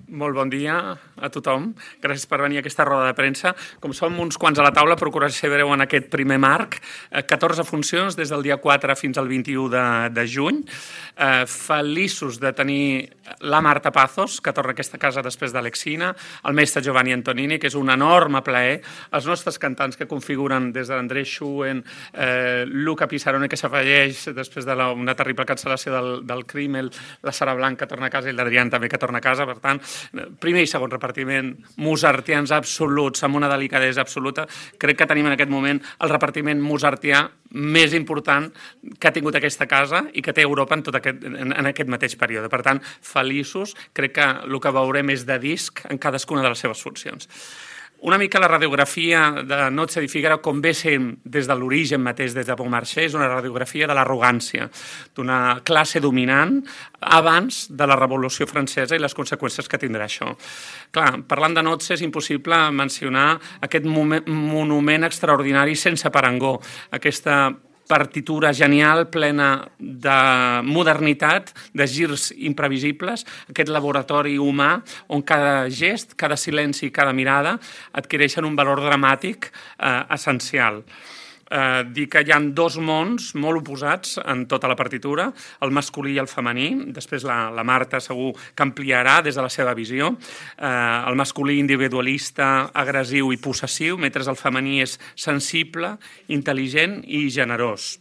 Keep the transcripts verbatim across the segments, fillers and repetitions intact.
Molt bon dia a tothom. Gràcies per venir a aquesta roda de premsa. Com som uns quants a la taula, procuraré ser breu en aquest primer marc. catorze funcions des del dia quatre fins al vint-i-u de, de juny. Eh, feliços de tenir la Marta Pazos, que torna a aquesta casa després d'Alexina, el mestre Giovanni Antonini, que és un enorme plaer, els nostres cantants que configuren des de l'André Schuen, eh, Luca Pissarone, que s'afegeix després d'una de terrible cancel·lació del, del Crímel, la Sara Blanc, que torna a casa, i l'Adrián també, que torna a casa. Per tant, primer i segon repartiment, mozartians absoluts, amb una delicadesa absoluta. Crec que tenim en aquest moment el repartiment mozartià més important que ha tingut aquesta casa i que té Europa en, tot aquest, en, en aquest mateix període. Per tant, feliços. Crec que el que veurem és de disc en cadascuna de les seves funcions. Una mica la radiografia de Noche di Figaro, com ve sent des de l'origen mateix, des de Beaumarchais, és una radiografia de l'arrogància, d'una classe dominant abans de la Revolució Francesa i les conseqüències que tindrà això. Clar, parlant de Noche és impossible mencionar aquest monument extraordinari sense parangó, aquesta partitura genial, plena de modernitat, de girs imprevisibles, aquest laboratori humà on cada gest, cada silenci i cada mirada adquireixen un valor dramàtic eh, essencial. Eh, dir que hi ha dos mons molt oposats en tota la partitura, el masculí i el femení. Després la, la Marta segur que ampliarà des de la seva visió. Eh, el masculí individualista, agressiu i possessiu, mentre el femení és sensible, intel·ligent i generós.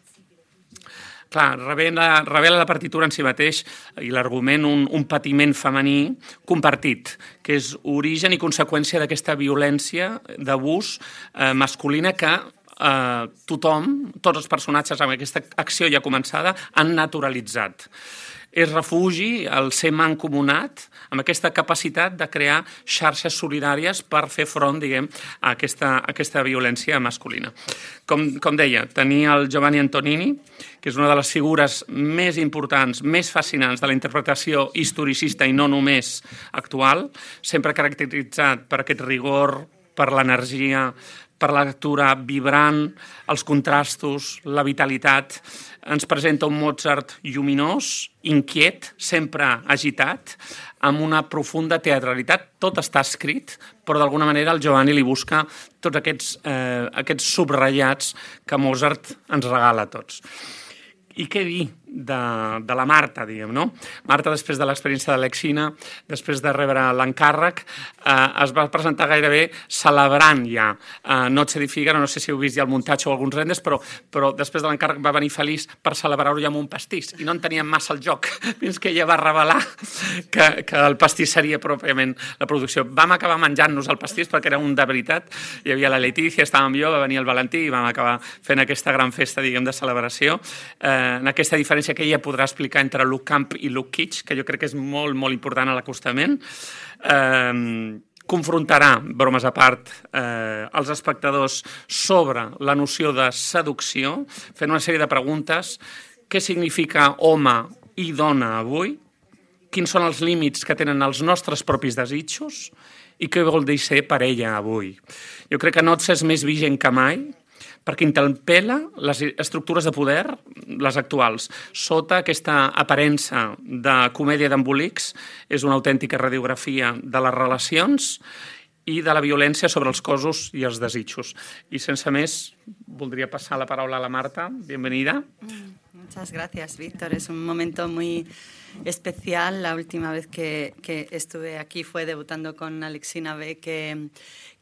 Clar, revela, revela la partitura en si mateix i l'argument un, un patiment femení compartit, que és origen i conseqüència d'aquesta violència d'abús eh, masculina que Uh, tothom, tots els personatges amb aquesta acció ja començada, han naturalitzat. És refugi, el ser mancomunat, amb aquesta capacitat de crear xarxes solidàries per fer front, diguem, a aquesta, a aquesta violència masculina. Com, com deia, tenia el Giovanni Antonini, que és una de les figures més importants, més fascinants de la interpretació historicista i no només actual, sempre caracteritzat per aquest rigor, per l'energia, per la lectura vibrant, els contrastos, la vitalitat. Ens presenta un Mozart lluminós, inquiet, sempre agitat, amb una profunda teatralitat. Tot està escrit, però d'alguna manera el Giovanni li busca tots aquests, eh, aquests subratllats que Mozart ens regala a tots. I què dir de, de la Marta, diguem, no? Marta, després de l'experiència d'Alexina, després de rebre l'encàrrec, eh, es va presentar gairebé celebrant ja eh, Noche di Figaro. No sé si heu vist ja el muntatge o alguns renders, però, però després de l'encàrrec va venir feliç per celebrar-ho ja amb un pastís, i no en teníem massa el joc, fins que ella va revelar que, que el pastís seria pròpiament la producció. Vam acabar menjant-nos el pastís perquè era un de veritat. Hi havia la Letícia, estàvem jo, va venir el Valentí i vam acabar fent aquesta gran festa, diguem, de celebració. Eh, en aquesta diferència que ella podrà explicar entre look camp i look kitsch, que jo crec que és molt, molt important a l'acostament. Eh, confrontarà, bromes a part, eh, els espectadors sobre la noció de seducció, fent una sèrie de preguntes. Què significa home i dona avui? Quins són els límits que tenen els nostres propis desitjos? I què vol dir ser parella avui? Jo crec que Noche és més vigent que mai, perquè interpel·la les estructures de poder, les actuals. Sota aquesta aparença de comèdia d'embolics, és una autèntica radiografia de les relacions i de la violència sobre els cossos i els desitjos. I sense més, voldria passar la paraula a la Marta. Bienvenida. Muchas gracias, Víctor. Es un momento muy especial. La última vez que, que estuve aquí fue debutando con Alexina B, que...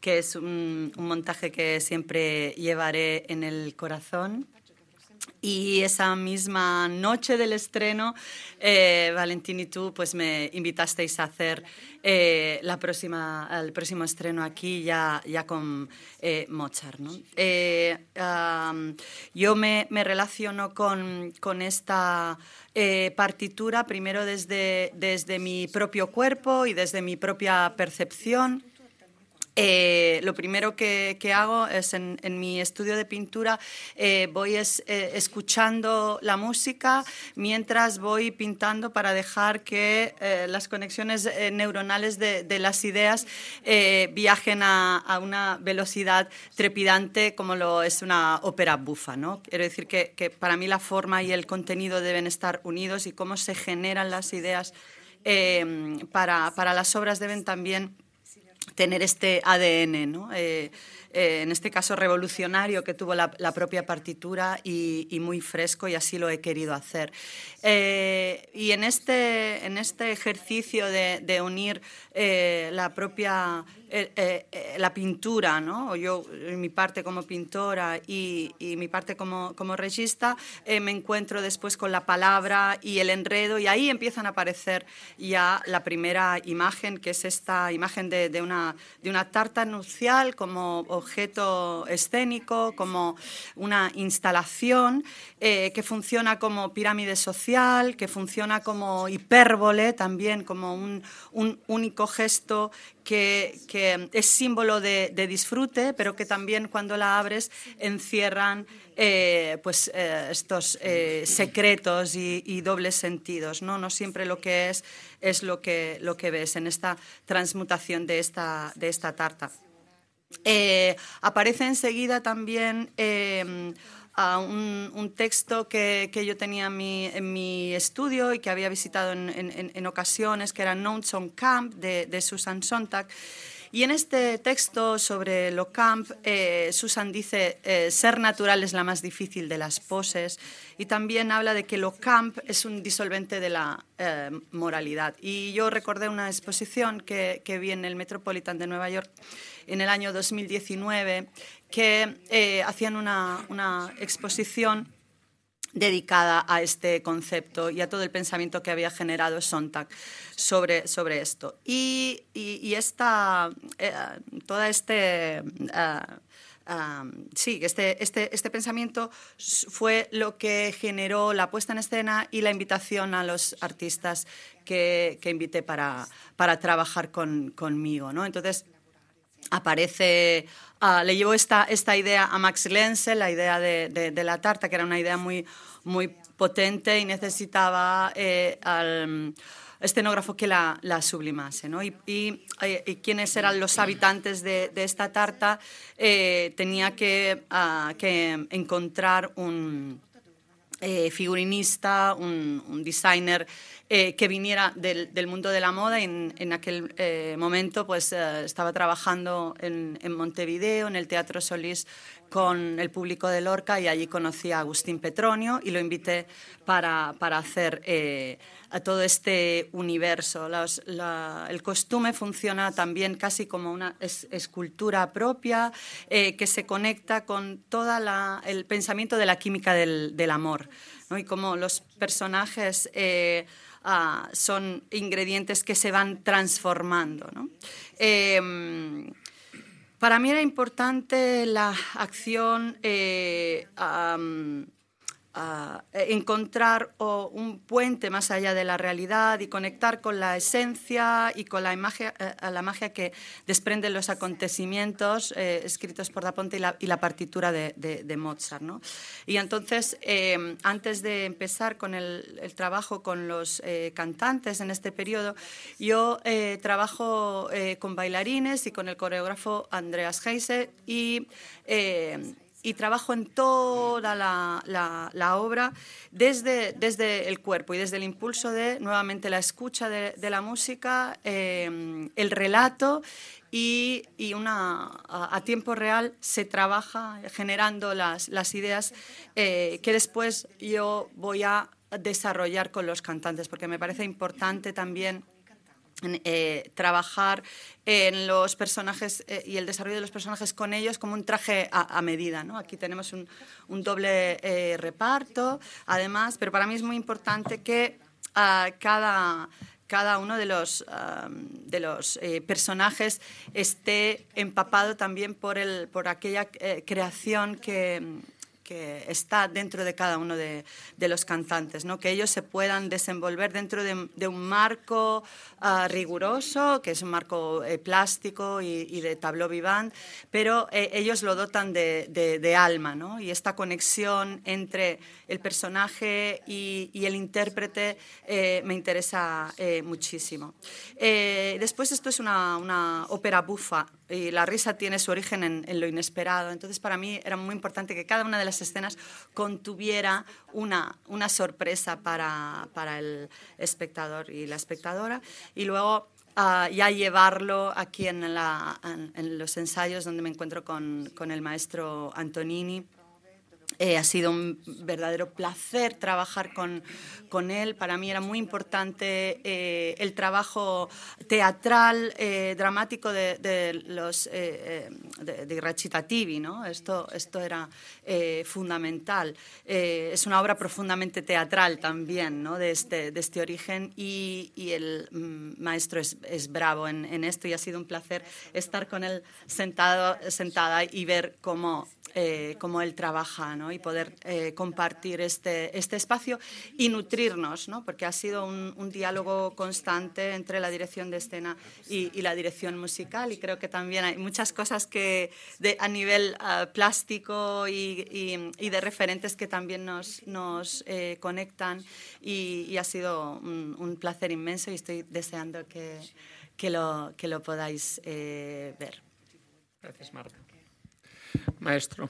que es un, un montaje que siempre llevaré en el corazón. Y esa misma noche del estreno, eh, Valentín y tú pues me invitasteis a hacer eh, la próxima, el próximo estreno aquí ya, ya con eh, Mozart, ¿no? Eh, um, yo me, me relaciono con, con esta eh, partitura primero desde, desde mi propio cuerpo y desde mi propia percepción. Eh, lo primero que, que hago es en, en mi estudio de pintura eh, voy es, eh, escuchando la música mientras voy pintando para dejar que eh, las conexiones eh, neuronales de, de las ideas eh, viajen a, a una velocidad trepidante como lo es una ópera bufa, ¿no? Quiero decir que, que para mí la forma y el contenido deben estar unidos y cómo se generan las ideas eh, para, para las obras deben también tener este A D N, ¿no? Eh, eh, en este caso revolucionario que tuvo la, la propia partitura y, y muy fresco, y así lo he querido hacer. Eh, y en este, en este ejercicio de, de unir eh, la propia eh, eh, la pintura, ¿no? Yo, mi parte como pintora y, y mi parte como, como regista, eh, me encuentro después con la palabra y el enredo, y ahí empiezan a aparecer ya la primera imagen, que es esta imagen de, de, una, de una tarta nupcial como objeto escénico, como una instalación eh, que funciona como pirámide social, que funciona como hipérbole también, como un, un único gesto que, que es símbolo de, de disfrute, pero que también cuando la abres encierran eh, pues, eh, estos eh, secretos y, y dobles sentidos, ¿no? No siempre lo que es es lo que, lo que ves en esta transmutación de esta, de esta tarta. Eh, aparece enseguida también eh, a un, un texto que, que yo tenía en mi, en mi estudio y que había visitado en, en, en ocasiones, que era Notes on Camp, de, de Susan Sontag. Y en este texto sobre lo camp, eh, Susan dice, eh, ser natural es la más difícil de las poses, y también habla de que lo camp es un disolvente de la eh, moralidad. Y yo recordé una exposición que, que vi en el Metropolitan de Nueva York en el año dos mil diecinueve, que eh, hacían una, una exposición dedicada a este concepto y a todo el pensamiento que había generado Sontag sobre, sobre esto. Y, y, y esta, eh, toda este... Uh, Um, sí, este, este, este pensamiento fue lo que generó la puesta en escena y la invitación a los artistas que, que invité para, para trabajar con, conmigo, ¿no? Entonces, aparece, uh, le llevó esta, esta idea a Max Lenzel, la idea de, de, de la tarta, que era una idea muy, muy potente y necesitaba eh, al escenógrafo que la, la sublimase, ¿no? Y, y, y quiénes eran los habitantes de, de esta tarta, eh, tenía que, uh, que encontrar un eh, figurinista, un, un designer eh, que viniera del, del mundo de la moda. Y en, en aquel eh, momento pues, eh, estaba trabajando en, en Montevideo, en el Teatro Solís, con el público de Lorca, y allí conocí a Agustín Petronio y lo invité para, para hacer eh, a todo este universo. Los, la, el costume funciona también casi como una es, escultura propia eh, que se conecta con todo el pensamiento de la química del, del amor, ¿no? Y como los personajes eh, ah, son ingredientes que se van transformando, ¿no? Eh, Para mí era importante la acción, eh, um, uh, encontrar oh, un puente más allá de la realidad y conectar con la esencia y con la, magia, eh, la magia que desprenden los acontecimientos eh, escritos por Da Ponte y la, y la partitura de, de, de Mozart, ¿no? Y entonces, eh, antes de empezar con el, el trabajo con los eh, cantantes en este periodo, yo eh, trabajo eh, con bailarines y con el coreógrafo Andreas Heise, y eh, y trabajo en toda la, la, la obra desde, desde el cuerpo y desde el impulso de, nuevamente, la escucha de, de la música, eh, el relato, y, y una, a, a tiempo real se trabaja generando las, las ideas eh, que después yo voy a desarrollar con los cantantes, porque me parece importante también Eh, trabajar en los personajes eh, y el desarrollo de los personajes con ellos como un traje a, a medida, ¿no? Aquí tenemos un, un doble eh, reparto, además, pero para mí es muy importante que uh, cada, cada uno de los, uh, de los eh, personajes esté empapado también por, el, por aquella eh, creación que... que está dentro de cada uno de, de los cantantes, ¿no? Que ellos se puedan desenvolver dentro de, de un marco uh, riguroso, que es un marco eh, plástico y, y de tableau vivant, pero eh, ellos lo dotan de, de, de alma, ¿no? Y esta conexión entre el personaje y, y el intérprete eh, me interesa eh, muchísimo. Eh, después, esto es una, una ópera bufa, y la risa tiene su origen en, en lo inesperado. Entonces, para mí era muy importante que cada una de las las escenas contuviera una, una sorpresa para, para el espectador y la espectadora, y luego Uh, ya llevarlo aquí en, la, en, en los ensayos donde me encuentro con, con el maestro Antonini. Eh, ha sido un verdadero placer trabajar con, con él. Para mí era muy importante eh, el trabajo teatral, eh, dramático de, de los eh, de, de recitativi, ¿no? Esto, esto era eh, fundamental. Eh, es una obra profundamente teatral también, ¿no? de, este, de este origen, y, y el mm, maestro es, es bravo en, en esto, y ha sido un placer estar con él sentado, sentada y ver cómo, eh, cómo él trabaja, ¿no? Y poder eh, compartir este, este espacio y nutrirnos, ¿no? Porque ha sido un, un diálogo constante entre la dirección de escena y, y la dirección musical, y creo que también hay muchas cosas que de, a nivel uh, plástico y, y, y de referentes que también nos, nos eh, conectan, y, y ha sido un, un placer inmenso, y estoy deseando que, que, lo, que lo podáis eh, ver. Gracias, Marta. Maestro,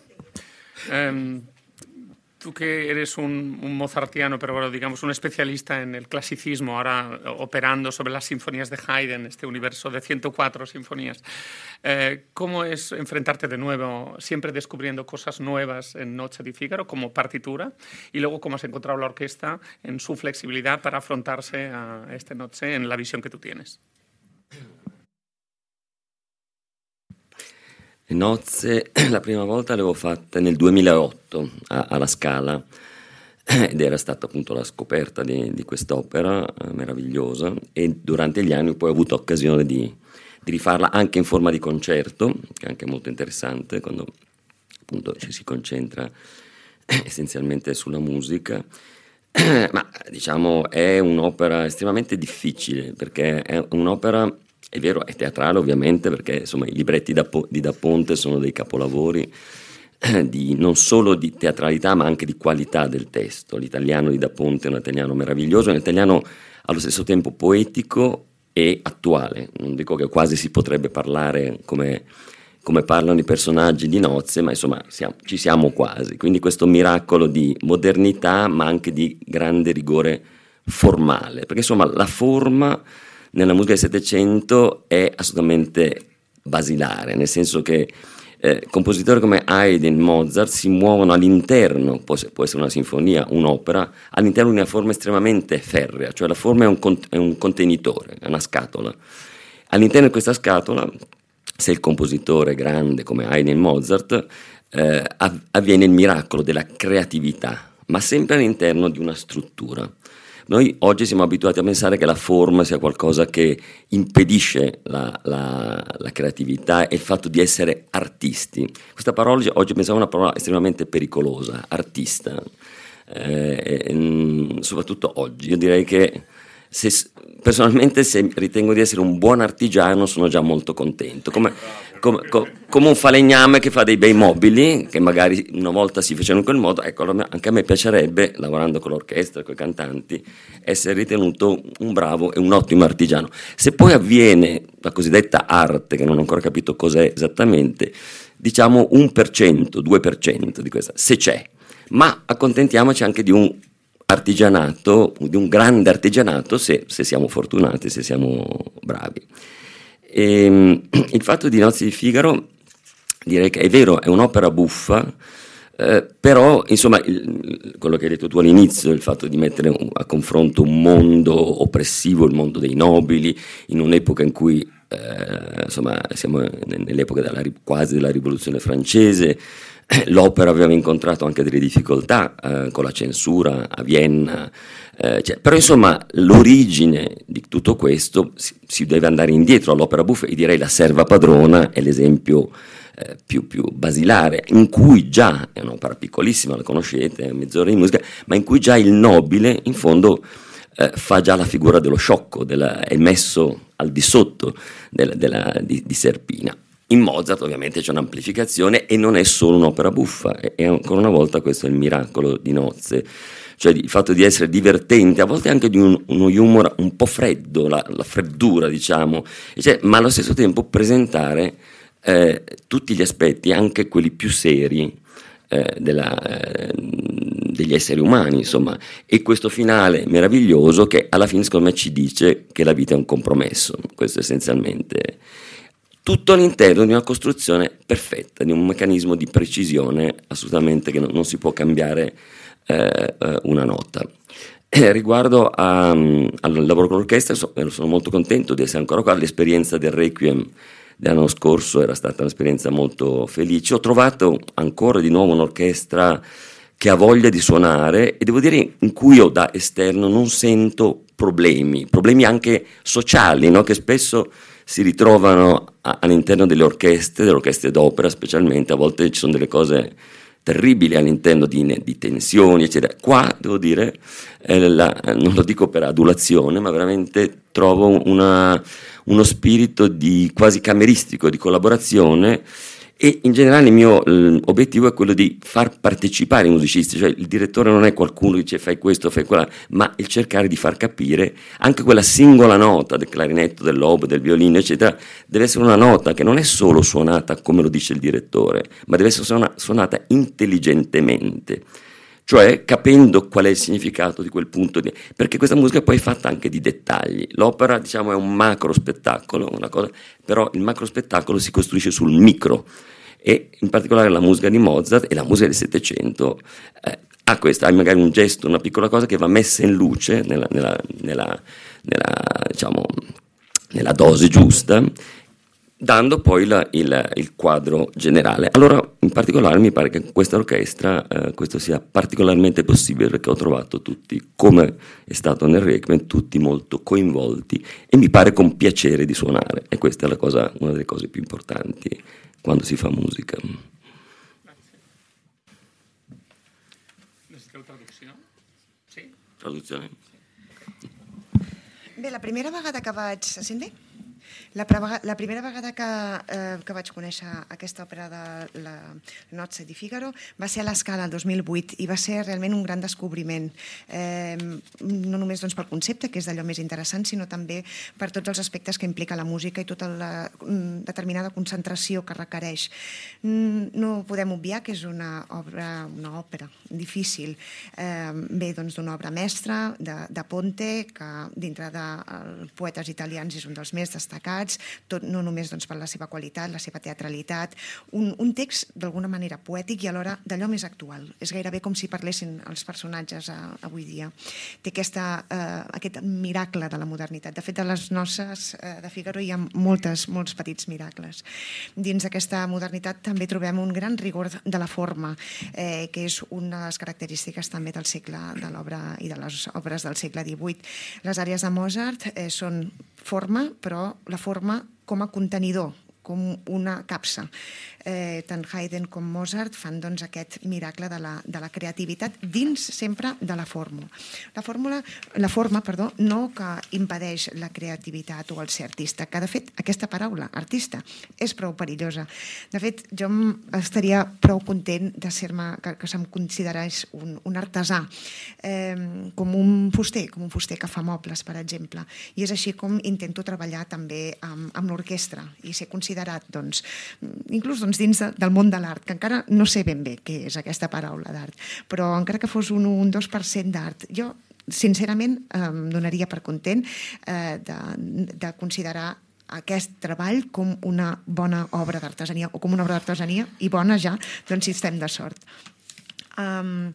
eh, tú que eres un, un mozartiano, pero bueno, digamos un especialista en el clasicismo, ahora operando sobre las sinfonías de Haydn, este universo de ciento cuatro sinfonías, eh, ¿cómo es enfrentarte de nuevo, siempre descubriendo cosas nuevas en Nozze di Figaro como partitura, y luego cómo has encontrado la orquesta en su flexibilidad para afrontarse a este Nozze en la visión que tú tienes? Nozze la prima volta l'avevo fatta nel duemilaotto a, alla Scala, ed era stata appunto la scoperta di, di quest'opera eh, meravigliosa, e durante gli anni poi ho avuto occasione di, di rifarla anche in forma di concerto, che è anche molto interessante quando appunto ci si concentra essenzialmente sulla musica. Ma diciamo è un'opera estremamente difficile, perché è un'opera, è vero, è teatrale ovviamente, perché insomma i libretti da, di Da Ponte sono dei capolavori eh, di, non solo di teatralità ma anche di qualità del testo. L'italiano di Da Ponte è un italiano meraviglioso, è un italiano allo stesso tempo poetico e attuale. Non dico che quasi si potrebbe parlare come, come parlano i personaggi di Nozze, ma insomma siamo, ci siamo quasi. Quindi questo miracolo di modernità ma anche di grande rigore formale, perché insomma la forma nella musica del Settecento è assolutamente basilare, nel senso che eh, compositori come Haydn, Mozart si muovono all'interno, può, può essere una sinfonia, un'opera, all'interno di una forma estremamente ferrea, cioè la forma è un, è un contenitore, è una scatola. All'interno di questa scatola, se il compositore è grande come Haydn e Mozart, eh, avviene il miracolo della creatività, ma sempre all'interno di una struttura. Noi oggi siamo abituati a pensare che la forma sia qualcosa che impedisce la, la, la creatività e il fatto di essere artisti. Questa parola oggi pensavo una parola estremamente pericolosa, artista, eh, soprattutto oggi. Io direi che se, personalmente se ritengo di essere un buon artigiano sono già molto contento, come, come, come un falegname che fa dei bei mobili che magari una volta si facevano in quel modo. Ecco, anche a me piacerebbe, lavorando con l'orchestra, con i cantanti, essere ritenuto un bravo e un ottimo artigiano. Se poi avviene la cosiddetta arte, che non ho ancora capito cos'è esattamente, diciamo un per cento, due per cento di questa, se c'è, ma accontentiamoci anche di un artigianato, di un grande artigianato, se, se siamo fortunati, se siamo bravi. E, il fatto di Nozze di Figaro, direi che è vero, è un'opera buffa, eh, però insomma il, quello che hai detto tu all'inizio, il fatto di mettere un, a confronto un mondo oppressivo, il mondo dei nobili, in un'epoca in cui eh, insomma siamo nell'epoca della, quasi della rivoluzione francese. L'opera aveva incontrato anche delle difficoltà eh, con la censura a Vienna, eh, cioè, però insomma l'origine di tutto questo si, si deve andare indietro all'opera buffa, e direi La serva padrona è l'esempio eh, più, più basilare, in cui già, è un'opera piccolissima, la conoscete, è mezz'ora di musica, ma in cui già il nobile in fondo eh, fa già la figura dello sciocco, della, è messo al di sotto della, della, di, di Serpina. In Mozart ovviamente c'è un'amplificazione e non è solo un'opera buffa, e ancora una volta questo è il miracolo di Nozze, cioè il fatto di essere divertente, a volte anche di un, uno humor un po' freddo, la, la freddura diciamo, cioè, ma allo stesso tempo presentare eh, tutti gli aspetti, anche quelli più seri, eh, della, eh, degli esseri umani, insomma, e questo finale meraviglioso che alla fine secondo me ci dice che la vita è un compromesso, questo essenzialmente. Tutto all'interno di una costruzione perfetta, di un meccanismo di precisione assolutamente che non, non si può cambiare eh, una nota. Eh, riguardo a, al lavoro con l'orchestra, so, sono molto contento di essere ancora qua. L'esperienza del Requiem dell'anno scorso era stata un'esperienza molto felice. Ho trovato ancora di nuovo un'orchestra che ha voglia di suonare e devo dire in cui io da esterno non sento problemi, problemi anche sociali, no? Che spesso si ritrovano a, all'interno delle orchestre, delle orchestre d'opera specialmente, a volte ci sono delle cose terribili all'interno di, di tensioni, eccetera. Qua, devo dire, eh, la, non lo dico per adulazione, ma veramente trovo una, uno spirito di quasi cameristico, di collaborazione, e in generale il mio eh, obiettivo è quello di far partecipare i musicisti, cioè il direttore non è qualcuno che dice fai questo, fai quella, ma il cercare di far capire anche quella singola nota del clarinetto, dell'oboe, del violino, eccetera, deve essere una nota che non è solo suonata come lo dice il direttore, ma deve essere suona, suonata intelligentemente, cioè capendo qual è il significato di quel punto di... perché questa musica poi è fatta anche di dettagli. L'opera, diciamo, è un macro spettacolo, una cosa, però il macro spettacolo si costruisce sul micro, e in particolare la musica di Mozart e la musica del Settecento eh, ha questa, ha magari un gesto, una piccola cosa che va messa in luce nella, nella, nella, nella, diciamo, nella dose giusta, dando poi la, il, il quadro generale. Allora, in particolare mi pare che in questa orchestra eh, questo sia particolarmente possibile, perché ho trovato tutti, come è stato nel Requiem, tutti molto coinvolti e mi pare con piacere di suonare, e questa è la cosa, una delle cose più importanti quando si fa musica. Grazie. Necessiteu traducció? Sí? Traduzione? Bé, la primera vegada que vaig... Se sent bé? La, pre- la primera vegada que, eh, que vaig conèixer aquesta òpera de la Nozze di Figaro va ser a l'Escala el dos mil vuit i va ser realment un gran descobriment, eh, no només doncs, pel concepte, que és d'allò més interessant, sinó també per tots els aspectes que implica la música i tota la determinada concentració que requereix. No podem obviar que és una obra, una òpera difícil, eh, ve doncs, d'una obra mestra de, de Ponte, que dintre dels poetes italians és un dels més destacats, tot, no només doncs, per la seva qualitat, la seva teatralitat, un, un text d'alguna manera poètic i alhora d'allò més actual. És gairebé com si parlessin els personatges a, avui dia. Té aquesta, eh, aquest miracle de la modernitat. De fet, a les noces eh, de Figaro hi ha moltes, molts petits miracles. Dins d'aquesta modernitat també trobem un gran rigor de la forma, eh, que és una de les característiques també del segle de l'obra i de les obres del segle divuit. Les àrees de Mozart eh, són forma, però la forma com a contenidor, com una capsa. Eh, tant Haydn com Mozart fan doncs, aquest miracle de la, de la creativitat dins sempre de la fórmula. La, fórmula, la forma perdó, no que impedeix la creativitat o el ser artista, que de fet aquesta paraula, artista, és prou perillosa. De fet, jo estaria prou content de ser-me, que, que se'm considerés un, un artesà, eh, com un fuster, com un fuster que fa mobles, per exemple. I és així com intento treballar també amb, amb l'orquestra i ser considerat, doncs, inclús doncs, dins de, del món de l'art, que encara no sé ben bé què és aquesta paraula d'art, però encara que fos un un dos per cent d'art, jo sincerament em donaria per content eh, de, de considerar aquest treball com una bona obra d'artesania, o com una obra d'artesania, i bona ja, doncs si estem de sort. Um,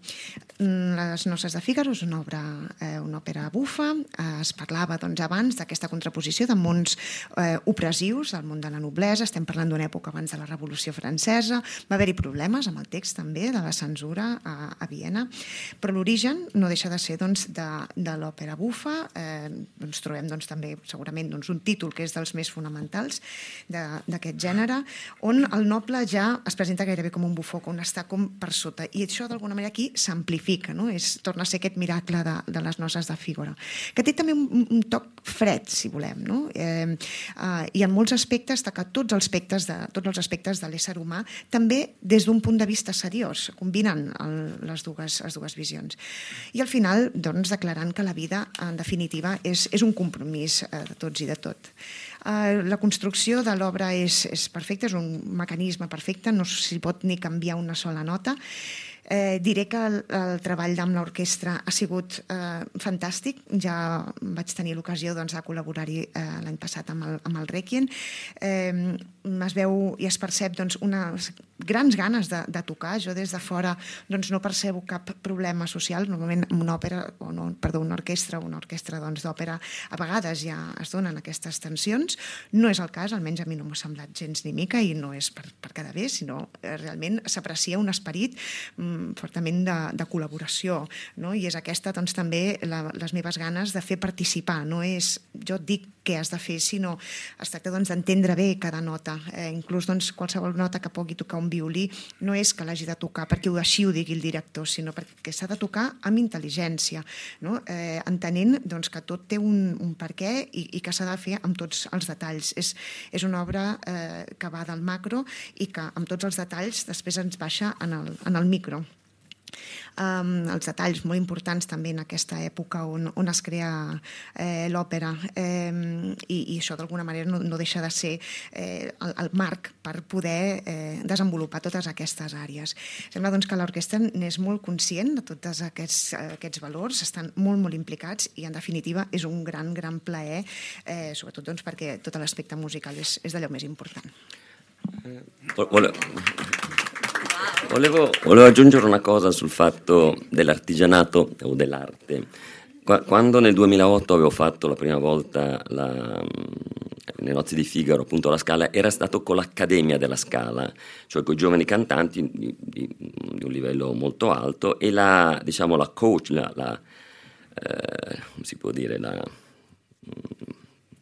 les Noces de Figaro és una obra, eh, una òpera bufa. Eh, es parlava doncs, abans d'aquesta contraposició de mons eh, opressius, del món de la noblesa. Estem parlant d'una època abans de la Revolució Francesa. Va haver-hi problemes amb el text també de la censura a, a Viena, però l'origen no deixa de ser doncs, de, de l'òpera bufa. Eh, doncs, trobem doncs, també segurament doncs, un títol que és dels més fonamentals d'aquest gènere, on el noble ja es presenta gairebé com un bufó, on està com per sota, i això d'alguna manera aquí s'amplifica, no? És, torna a ser aquest miracle de, de les noces de Fígaro, que té també un, un toc fred, si volem, no? Eh, eh, I en molts aspectes, que tots els aspectes de, tots els aspectes de l'ésser humà, també des d'un punt de vista seriós, combinen el, les, dues, les dues visions. I al final, doncs, declarant que la vida, en definitiva, és, és un compromís eh, de tots i de tot. Uh, la construcció de l'obra és, és perfecta, és un mecanisme perfecte, no s'hi pot ni canviar una sola nota. Eh, diré que el, el treball amb l'orquestra ha sigut eh, fantàstic. Ja vaig tenir l'ocasió doncs, de col·laborar-hi eh, l'any passat amb el, amb el Requiem. Eh, es veu i es percep doncs, unes grans ganes de, de tocar. Jo des de fora doncs, no percebo cap problema social. Normalment una òpera, o no, perdó, una orquestra, una orquestra doncs, d'òpera, a vegades ja es donen aquestes tensions. No és el cas, almenys a mi no m'ha semblat gens ni mica, i no és per, per quedar bé, sinó eh, realment s'aprecia un esperit mm, fortament de, de col·laboració, no? I és aquesta doncs, també la, les meves ganes de fer participar. No és, jo et dic què has de fer, sinó es tracta doncs, d'entendre bé cada nota. Eh, inclús doncs, qualsevol nota que pugui tocar un violí no és que l'hagi de tocar perquè així ho digui el director, sinó perquè s'ha de tocar amb intel·ligència, no? eh, entenent doncs, que tot té un, un perquè i, i que s'ha de fer amb tots els detalls. És, és una obra eh, que va del macro i que amb tots els detalls després ens baixa en el, en el micro. Um, els detalls molt importants també en aquesta època on, on es crea eh, l'òpera um, i, i això d'alguna manera no, no deixa de ser eh, el, el marc per poder eh, desenvolupar totes aquestes àrees. Sembla doncs, que l'orquestra n'és molt conscient de tots aquests, aquests valors, estan molt, molt implicats i en definitiva és un gran, gran plaer, eh, sobretot doncs, perquè tot l'aspecte musical és, és d'allò més important. Eh, Volevo, volevo aggiungere una cosa sul fatto dell'artigianato o dell'arte. Quando nel duemilaotto avevo fatto la prima volta la, le nozze di Figaro, appunto la Scala, era stato con l'Accademia della Scala, cioè con i giovani cantanti di, di, di un livello molto alto, e la, diciamo, la coach, la, la, eh, come si può dire, la,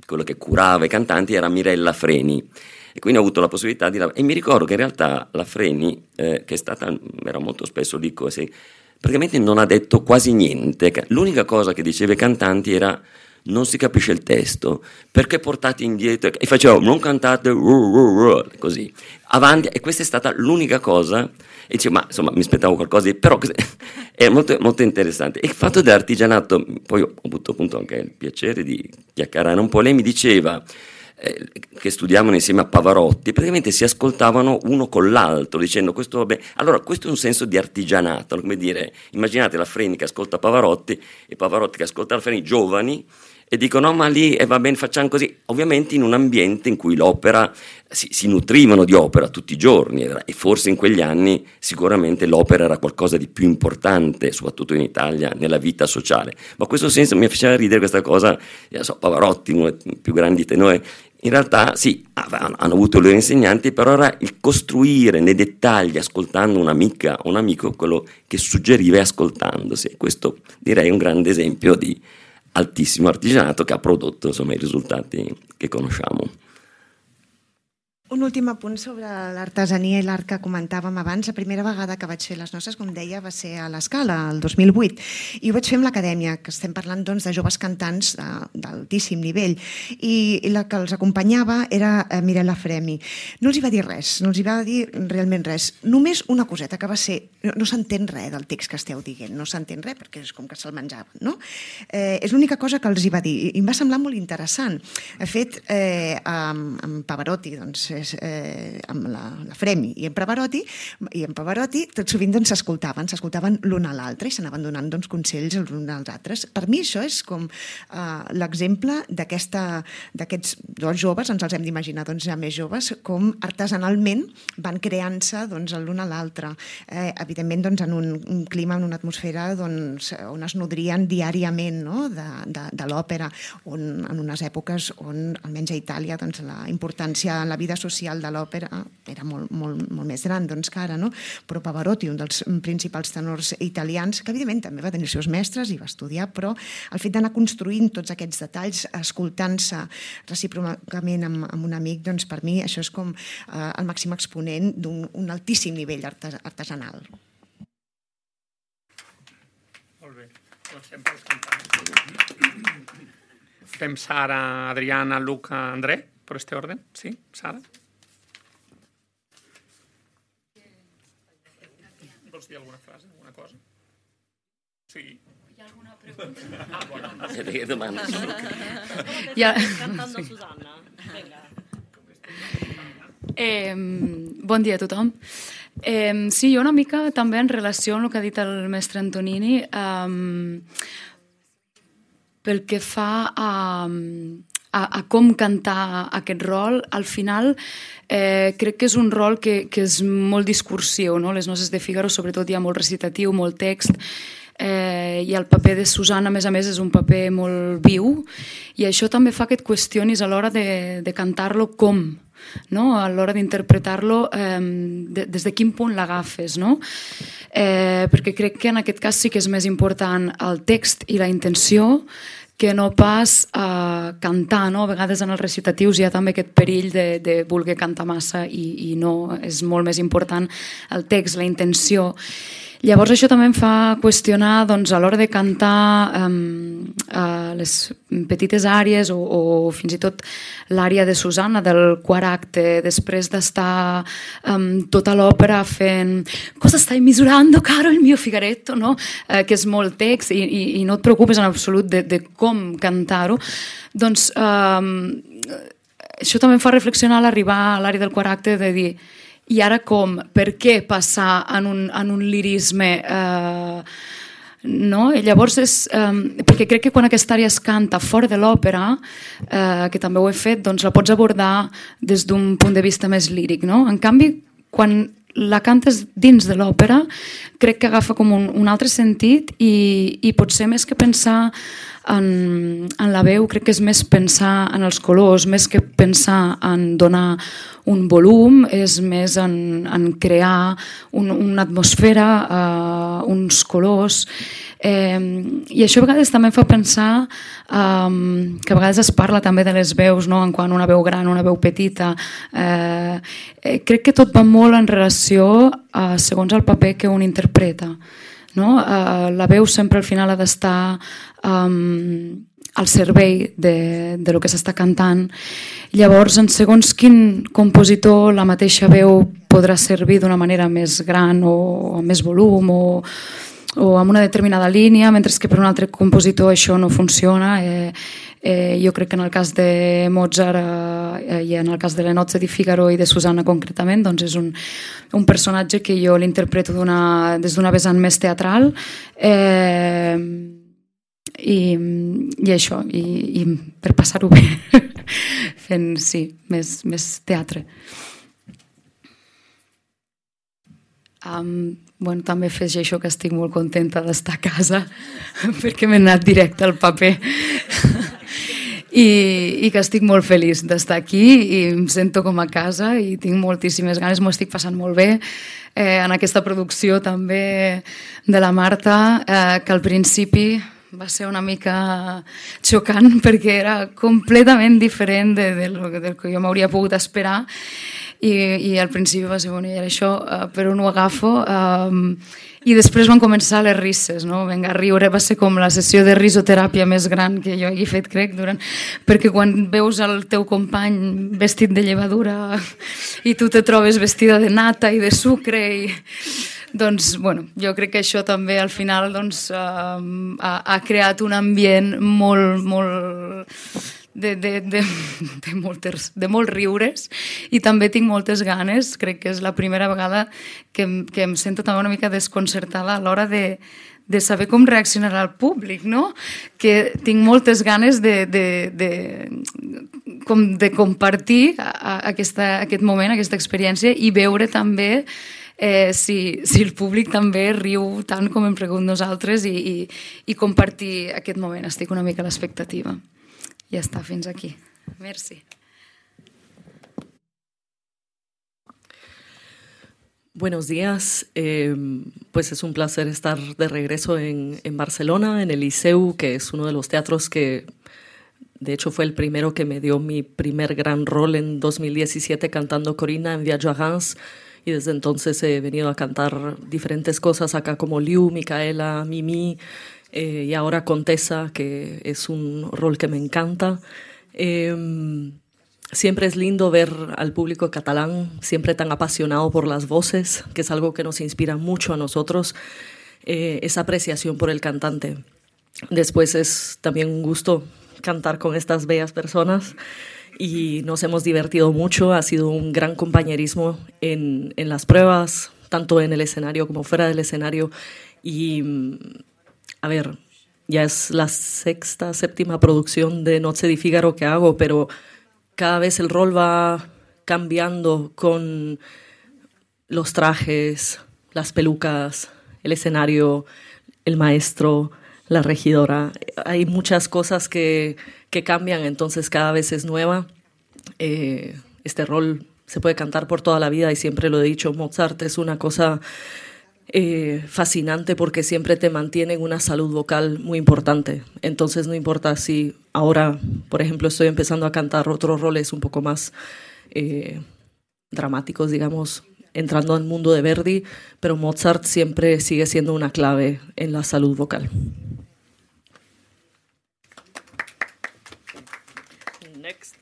quello che curava i cantanti era Mirella Freni. E quindi ho avuto la possibilità di lavorare. E mi ricordo che in realtà la Freni, eh, che è stata, era molto spesso lì, così, praticamente non ha detto quasi niente. L'unica cosa che diceva ai cantanti era: non si capisce il testo, perché portate indietro? E facevo: non cantate, uh, uh, uh, così, avanti. E questa è stata l'unica cosa. E dicevo, ma insomma, mi aspettavo qualcosa di... Però è molto, molto interessante. E il fatto dell'artigianato, poi ho avuto appunto anche il piacere di chiacchierare un po'. Lei mi diceva Eh, che studiavano insieme a Pavarotti, praticamente si ascoltavano uno con l'altro dicendo questo vabbè. Allora questo è un senso di artigianato, come dire, immaginate la Freni che ascolta Pavarotti e Pavarotti che ascolta la Freni, giovani, e dicono no ma lì eh, va bene, facciamo così, ovviamente in un ambiente in cui l'opera si, si nutrivano di opera tutti i giorni, e forse in quegli anni sicuramente l'opera era qualcosa di più importante, soprattutto in Italia, nella vita sociale. Ma questo senso mi faceva ridere questa cosa, io so, Pavarotti, uno dei più grandi tenori, in realtà sì, hanno avuto i loro insegnanti, però era il costruire nei dettagli, ascoltando un'amica o un amico, quello che suggeriva e ascoltandosi. Questo direi è un grande esempio di altissimo artigianato che ha prodotto insomma i risultati che conosciamo. Un últim apunt sobre l'artesania i l'art que comentàvem abans. La primera vegada que vaig fer les noces, com deia, va ser a l'Escala, el dos mil vuit, i ho vaig fer amb l'Acadèmia, que estem parlant doncs, de joves cantants d'altíssim nivell, i, i la que els acompanyava era Mirella Freni. No els hi va dir res, no els hi va dir realment res. Només una coseta, que va ser, no, no s'entén res del text que esteu dient, no s'entén res, perquè és com que se'l menjaven, no? Eh, és l'única cosa que els hi va dir, i em va semblar molt interessant. De fet, eh, amb, amb Pavarotti, doncs, Eh, amb la, la Freni i en Pavarotti, i en Pavarotti tot sovint doncs, s'escoltaven, s'escoltaven l'un a l'altre i s'anaven donant doncs, consells els uns als altres. Per mi això és com eh, l'exemple d'aquests dos joves, ens els hem d'imaginar doncs, ja més joves, com artesanalment van creant-se doncs, l'un a l'altre. Eh, evidentment doncs, en un, un clima, en una atmosfera doncs, on es nodrien diàriament, no? de, de, de l'òpera, on, en unes èpoques on, almenys a Itàlia, doncs, la importància en la vida social social de l'òpera era molt, molt, molt més gran doncs, que ara, no? Però Pavarotti, un dels principals tenors italians, que evidentment també va tenir els seus mestres i va estudiar, però el fet d'anar construint tots aquests detalls, escoltant-se recíprocament amb, amb un amic, doncs per mi això és com eh, el màxim exponent d'un altíssim nivell artes, artesanal. sempre els cantants. Fem Sara, Adriana, Luca, André, por este orden. Sí, Sara? Vols dir alguna frase, alguna cosa? Sí. Hi ha alguna pregunta? Ah, bueno. Che domanda sono? Ja. Cantando Susanna. Vinga. Eh, bon dia a tothom. Eh, sí, jo una mica també en relació amb el que ha dit el mestre Antonini, eh, pel que fa a, a, a com cantar aquest rol, al final eh, crec que és un rol que, que és molt discursiu, no? Les noces de Fígaro sobretot hi ha molt recitatiu, molt text, eh, i el paper de Susanna a més a més és un paper molt viu i això també fa que et qüestionis a l'hora de, de cantar-lo com, no? A l'hora d'interpretar-lo eh, de, des de quin punt l'agafes, no? Eh, perquè crec que en aquest cas sí que és més important el text i la intenció que no pas eh, cantar, no? A vegades en els recitatius hi ha també aquest perill de, de voler cantar massa i, i no, és molt més important el text, la intenció. Llavors això també em fa qüestionar doncs, a l'hora de cantar um, uh, les petites àrees o, o fins i tot l'àrea de Susanna del quart acte, després d'estar um, tota l'òpera fent «Cosa stai misurando, caro il mio Figaretto?» no? uh, que és molt text i, i, i no et preocupes en absolut de, de com cantar-ho, doncs um, això també em fa reflexionar a l'arribar a l'àrea del quart acte de dir i ara com? Per què passar en un, en un lirisme? Eh, no? I llavors és... Eh, perquè crec que quan aquesta àrea es canta fora de l'òpera, eh, que també ho he fet, doncs la pots abordar des d'un punt de vista més líric. No? En canvi, quan la cantes dins de l'òpera, crec que agafa com un, un altre sentit i, i potser més que pensar en, en la veu, crec que és més pensar en els colors, més que pensar en donar un volum, és més en, en crear un, una atmosfera, uh, uns colors. Eh, I això a vegades també em fa pensar um, que a vegades es parla també de les veus, no? En quant una veu gran, una veu petita. Eh, eh, crec que tot va molt en relació uh, segons el paper que un interpreta. No? Uh, la veu sempre al final ha d'estar um, al servei de, de lo que s'està cantant. Llavors, en segons quin compositor, la mateixa veu podrà servir d'una manera més gran o amb més volum o, o amb una determinada línia, mentre que per un altre compositor això no funciona. Eh, eh, jo crec que en el cas de Mozart eh, i en el cas de le Nozze di Figaro i de Susanna concretament, doncs és un, un personatge que jo l'interpreto des d'una vessant més teatral. Eh, i, i això, i, i per passar-ho bé fent, sí, més, més teatre. Um, bueno, també afegeixo que estic molt contenta d'estar a casa perquè m'he anat directe al paper I, i que estic molt feliç d'estar aquí i em sento com a casa i tinc moltíssimes ganes, m'ho estic passant molt bé eh, en aquesta producció també de la Marta, eh, que al principi va ser una mica xocant perquè era completament diferent de, de lo, del que jo m'hauria pogut esperar i, i al principi va ser, bueno, i això uh, per on ho agafo um, i després van començar les risses, no? Vinga, a riure, va ser com la sessió de risoteràpia més gran que jo he fet, crec, durant... perquè quan veus el teu company vestit de llevadura i tu te trobes vestida de nata i de sucre i... Doncs, bueno, jo crec que això també al final doncs, uh, ha, ha creat un ambient molt, molt de, de, de, de, moltes, de molt riures i també tinc moltes ganes, crec que és la primera vegada que, que em sento també una mica desconcertada a l'hora de, de saber com reaccionarà el públic, no? Que tinc moltes ganes de, de, de, com de compartir a, a aquesta, aquest moment, aquesta experiència i veure també Eh, si, si el públic també riu tant com hem rigut nosaltres i, i, i compartir aquest moment. Estic una mica a l'expectativa. Ja està, fins aquí. Merci. Buenos días, eh, pues es un placer estar de regreso en, en Barcelona, en el Liceu, que es uno de los teatros que de hecho fue el primero que me dio mi primer gran rol en dos mil diecisiete cantando Corinna en Viaggio a Reims. Y desde entonces he venido a cantar diferentes cosas acá como Liu, Micaela, Mimi eh, y ahora Contessa, que es un rol que me encanta. Eh, siempre es lindo ver al público catalán siempre tan apasionado por las voces, que es algo que nos inspira mucho a nosotros, eh, esa apreciación por el cantante. Después es también un gusto cantar con estas bellas personas y nos hemos divertido mucho, ha sido un gran compañerismo en, en las pruebas, tanto en el escenario como fuera del escenario. Y, a ver, ya es la sexta, séptima producción de Noche di Figaro que hago, pero cada vez el rol va cambiando con los trajes, las pelucas, el escenario, el maestro, la regidora. Hay muchas cosas que, que cambian, entonces cada vez es nueva. Eh, este rol se puede cantar por toda la vida y siempre lo he dicho, Mozart es una cosa eh, fascinante porque siempre te mantiene en una salud vocal muy importante. Entonces no importa si ahora, por ejemplo, estoy empezando a cantar otros roles un poco más eh, dramáticos, digamos, entrando al mundo de Verdi, pero Mozart siempre sigue siendo una clave en la salud vocal. Next.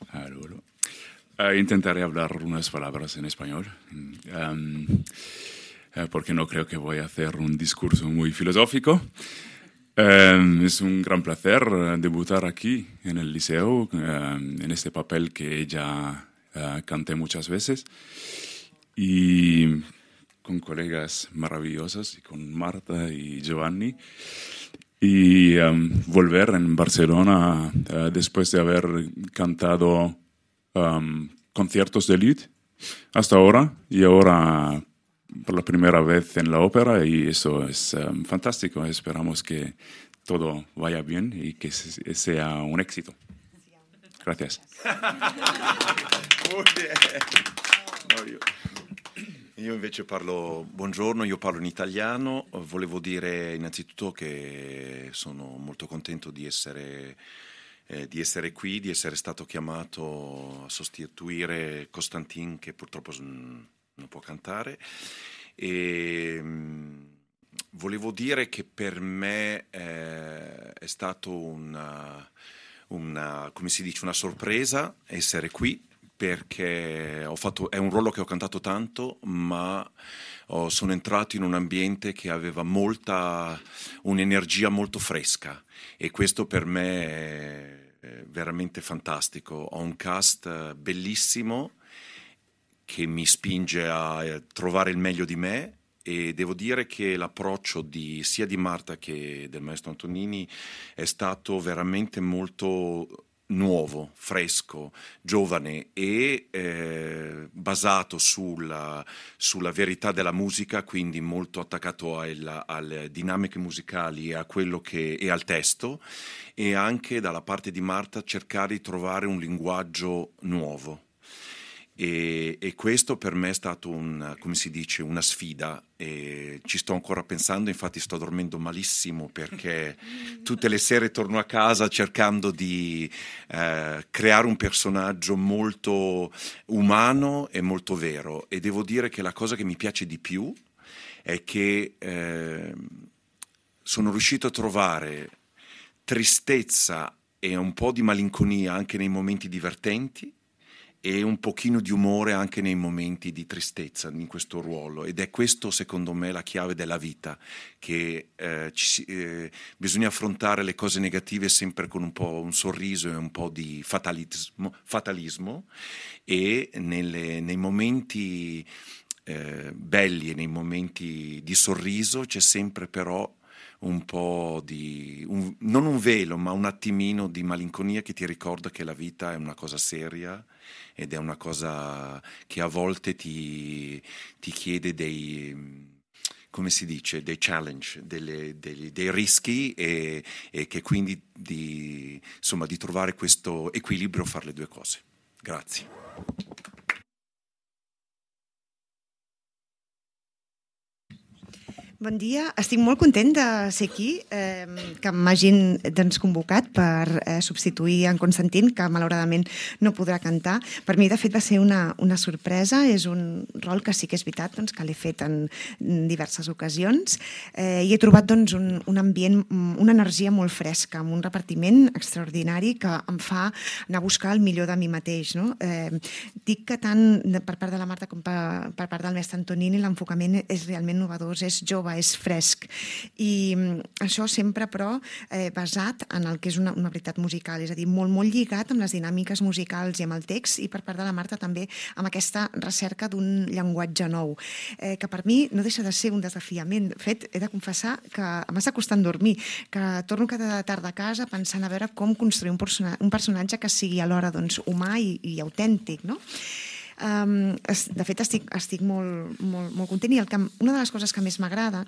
Allora. Uh, intentaré hablar unas palabras en español, um, uh, porque no creo que voy a hacer un discurso muy filosófico. Um, es un gran placer uh, debutar aquí en el Liceo, uh, en este papel que ya uh, canté muchas veces, y con colegas maravillosos, y con Marta y Giovanni. Y um, volver en Barcelona uh, después de haber cantado um, conciertos de lied hasta ahora, y ahora por la primera vez en la ópera, y eso es um, fantástico. Esperamos que todo vaya bien y que se, sea un éxito. Gracias. Muy bien. No, io. Io invece parlo, buongiorno, io parlo in italiano. Volevo dire innanzitutto che sono molto contento di essere, eh, di essere qui, di essere stato chiamato a sostituire Costantin, che purtroppo non può cantare. E mh, volevo dire che per me eh, è stato una, una, come si dice, una sorpresa essere qui, perché ho fatto, è un ruolo che ho cantato tanto, ma ho, sono entrato in un ambiente che aveva molta, un'energia molto fresca, e questo per me è, è veramente fantastico. Ho un cast bellissimo che mi spinge a trovare il meglio di me, e devo dire che l'approccio di, sia di Marta che del maestro Antonini è stato veramente molto nuovo, fresco, giovane e eh, basato sulla, sulla verità della musica, quindi molto attaccato al, alle dinamiche musicali e a quello che e al testo, e anche dalla parte di Marta cercare di trovare un linguaggio nuovo. E, e questo per me è stato un, come si dice, una sfida, e ci sto ancora pensando. Infatti sto dormendo malissimo perché tutte le sere torno a casa cercando di eh, creare un personaggio molto umano e molto vero, e devo dire che la cosa che mi piace di più è che eh, sono riuscito a trovare tristezza e un po' di malinconia anche nei momenti divertenti, e un pochino di umore anche nei momenti di tristezza in questo ruolo, ed è questo secondo me la chiave della vita, che eh, ci, eh, bisogna affrontare le cose negative sempre con un po' un sorriso e un po' di fatalismo, fatalismo e nelle, nei momenti eh, belli e nei momenti di sorriso c'è sempre però un po' di, un, non un velo, ma un attimino di malinconia che ti ricorda che la vita è una cosa seria, ed è una cosa che a volte ti, ti chiede dei, come si dice, dei challenge, delle, dei, dei rischi, e, e che quindi di, insomma, di trovare questo equilibrio, fare le due cose. Grazie. Bon dia, estic molt content de ser aquí, eh, que m'hagin doncs, convocat per eh, substituir en Constantin, que malauradament no podrà cantar. Per mi, de fet, va ser una, una sorpresa, és un rol que sí que és veritat doncs, que l'he fet en diverses ocasions eh, i he trobat doncs, un, un ambient, una energia molt fresca, amb un repartiment extraordinari que em fa anar a buscar el millor de mi mateix. No? Eh, dic que tant per part de la Marta com per, per part del mestre Antonini l'enfocament és realment innovador, és jove, és fresc. I això sempre, però, eh, basat en el que és una, una veritat musical, és a dir, molt, molt lligat amb les dinàmiques musicals i amb el text, i per part de la Marta també amb aquesta recerca d'un llenguatge nou, eh, que per mi no deixa de ser un desafiament. De fet, he de confessar que m'està costant dormir, que torno cada tarda a casa pensant a veure com construir un, persona, un personatge que sigui alhora doncs, humà i, i autèntic, no? Um, de fet, estic, estic molt, molt, molt content i el que, una de les coses que més m'agrada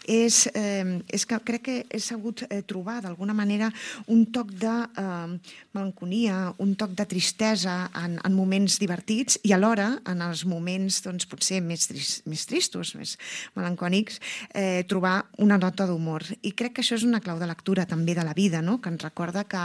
és, eh, és que crec que he sabut eh, trobar d'alguna manera un toc de eh, melancolia, un toc de tristesa en, en moments divertits i alhora en els moments doncs, potser més, tris, més tristos, més melancònics, eh, trobar una nota d'humor. I crec que això és una clau de lectura també de la vida, no? Que ens recorda que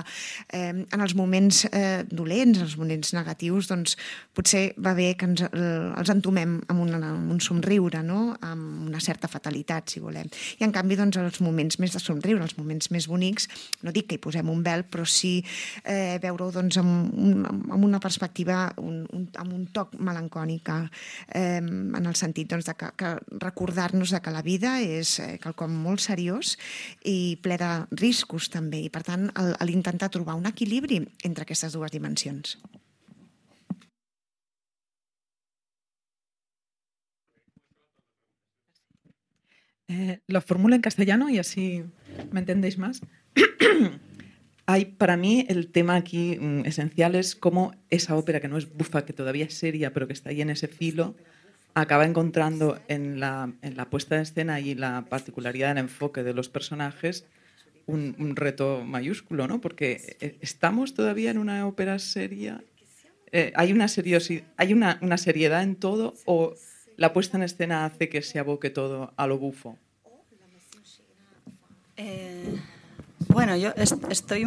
eh, en els moments eh, dolents, en els moments negatius, doncs, potser va bé que ens, els entomem amb, una, amb un somriure, no? Amb una certa fatalitat, si volem. I en canvi, doncs, els moments més de somriure, els moments més bonics, no dic que hi posem un vel, però sí eh, veure-ho doncs, amb, un, amb una perspectiva, un, un, amb un toc melancònica, eh, en el sentit doncs, de que, que recordar-nos de que la vida és eh, quelcom molt seriós i ple de riscos també, i per tant l'intentar trobar un equilibri entre aquestes dues dimensions. Eh, lo formulo en castellano y así me entendéis más. Hay, para mí, el tema aquí mm, esencial es cómo esa ópera, que no es bufa, que todavía es seria, pero que está ahí en ese filo, acaba encontrando en la, en la puesta de escena y la particularidad del enfoque de los personajes un, un reto mayúsculo, ¿no? Porque estamos todavía en una ópera seria. Eh, ¿Hay una seriosidad, hay una, una seriedad en todo o la puesta en escena hace que se aboque todo a lo bufo? Eh, bueno, yo est estoy...